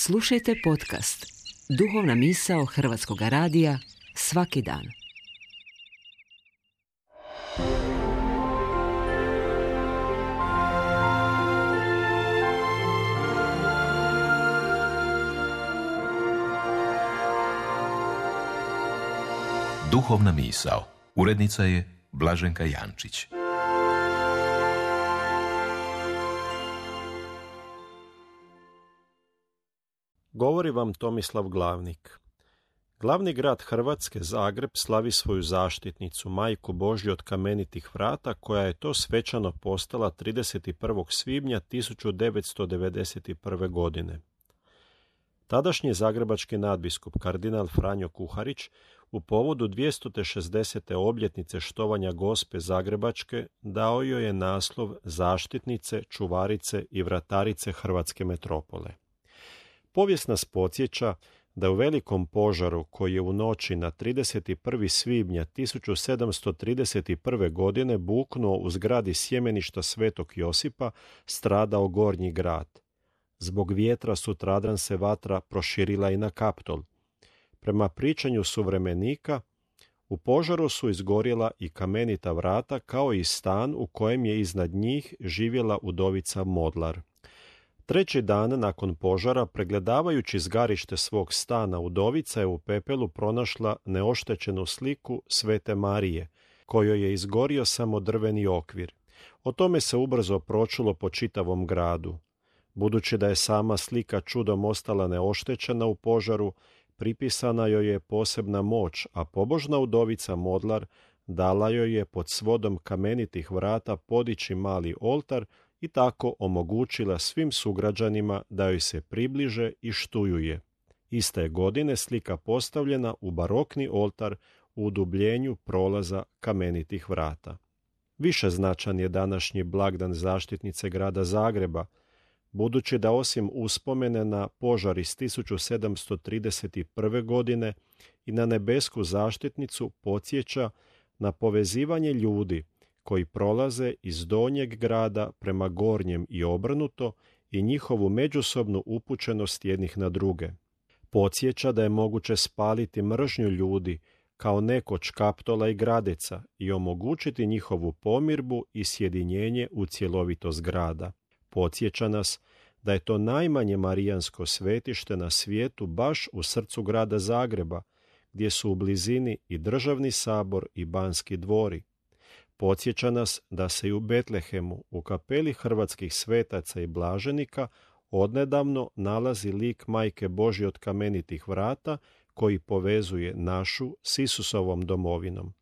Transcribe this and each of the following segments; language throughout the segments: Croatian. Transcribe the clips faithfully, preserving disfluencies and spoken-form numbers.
Slušajte podcast Duhovna misao Hrvatskog radija svaki dan. Duhovna misao. Urednica je Blaženka Jančić. Govori vam Tomislav Glavnik. Glavni grad Hrvatske, Zagreb, slavi svoju zaštitnicu, Majku Božju od kamenitih vrata, koja je to svečano postala trideset prvog svibnja tisuću devetsto devedeset prve. godine. Tadašnji zagrebački nadbiskup kardinal Franjo Kuharić u povodu dvjesto šezdesete obljetnice štovanja Gospe Zagrebačke dao joj je naslov zaštitnice, čuvarice i vratarice Hrvatske metropole. Povijest nas podsjeća da u velikom požaru koji je u noći na trideset prvi svibnja tisuću sedamsto trideset prve. godine buknuo u zgradi sjemeništa Svetog Josipa stradao Gornji grad. Zbog vjetra sutradan se vatra proširila i na Kaptol. Prema pričanju suvremenika, u požaru su izgorjela i kamenita vrata kao i stan u kojem je iznad njih živjela udovica Modlar. Treći dan nakon požara, pregledavajući zgarište svog stana, udovica je u pepelu pronašla neoštećenu sliku Svete Marije, kojoj je izgorio samo drveni okvir. O tome se ubrzo pročulo po čitavom gradu. Budući da je sama slika čudom ostala neoštećena u požaru, pripisana joj je posebna moć, a pobožna udovica Modlar dala joj je pod svodom kamenitih vrata podići mali oltar i tako omogućila svim sugrađanima da joj se približe i štuju je. Iste je godine slika postavljena u barokni oltar u udubljenju prolaza kamenitih vrata. Više značan je današnji blagdan zaštitnice grada Zagreba, budući da osim uspomene na požar iz tisuću sedamsto trideset prve. godine i na nebesku zaštitnicu podsjeća na povezivanje ljudi koji prolaze iz donjeg grada prema gornjem i obrnuto i njihovu međusobnu upućenost jednih na druge. Podsjeća da je moguće spaliti mržnju ljudi kao nekoć Kaptola i Gradeca i omogućiti njihovu pomirbu i sjedinjenje u cjelovitost grada. Podsjeća nas da je to najmanje marijansko svetište na svijetu baš u srcu grada Zagreba, gdje su u blizini i državni sabor i Banski dvori. Podsjeća nas da se i u Betlehemu, u kapeli hrvatskih svetaca i blaženika, odnedavno nalazi lik Majke Božje od kamenitih vrata koji povezuje našu s Isusovom domovinom.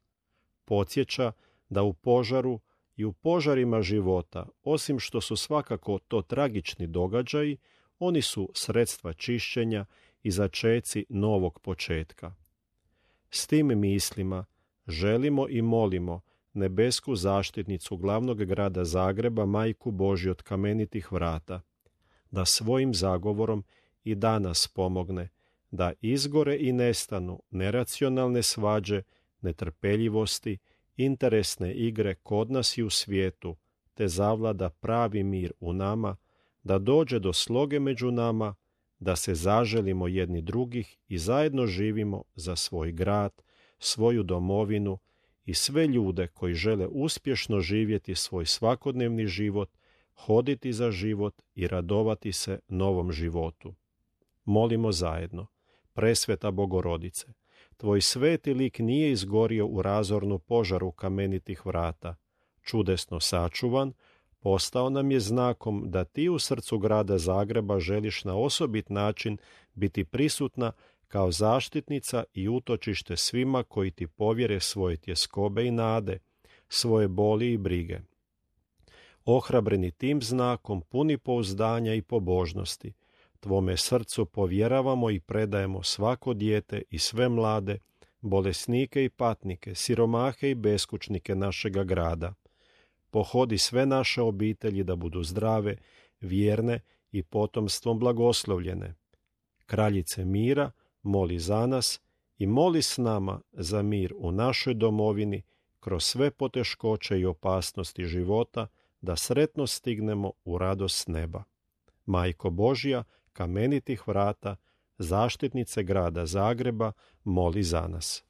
Podsjeća da u požaru i u požarima života, osim što su svakako to tragični događaji, oni su sredstva čišćenja i začeci novog početka. S tim mislima želimo i molimo nebesku zaštitnicu glavnog grada Zagreba, Majku Božju od kamenitih vrata, da svojim zagovorom i danas pomogne da izgore i nestanu neracionalne svađe, netrpeljivosti, interesne igre kod nas i u svijetu, te zavlada pravi mir u nama, da dođe do sloge među nama, da se zaželimo jedni drugih i zajedno živimo za svoj grad, svoju domovinu i sve ljude koji žele uspješno živjeti svoj svakodnevni život, hoditi za život i radovati se novom životu. Molimo zajedno. Presveta Bogorodice, tvoj sveti lik nije izgorio u razornu požaru kamenitih vrata. Čudesno sačuvan, postao nam je znakom da ti u srcu grada Zagreba želiš na osobit način biti prisutna kao zaštitnica i utočište svima koji ti povjere svoje tjeskobe i nade, svoje boli i brige. Ohrabreni tim znakom, puni pouzdanja i pobožnosti, tvome srcu povjeravamo i predajemo svako dijete i sve mlade, bolesnike i patnike, siromahe i beskućnike našega grada. Pohodi sve naše obitelji da budu zdrave, vjerne i potomstvom blagoslovljene. Kraljice mira, moli za nas i moli s nama za mir u našoj domovini kroz sve poteškoće i opasnosti života, da sretno stignemo u radost neba. Majko Božja, kamenitih vrata, zaštitnice grada Zagreba, moli za nas.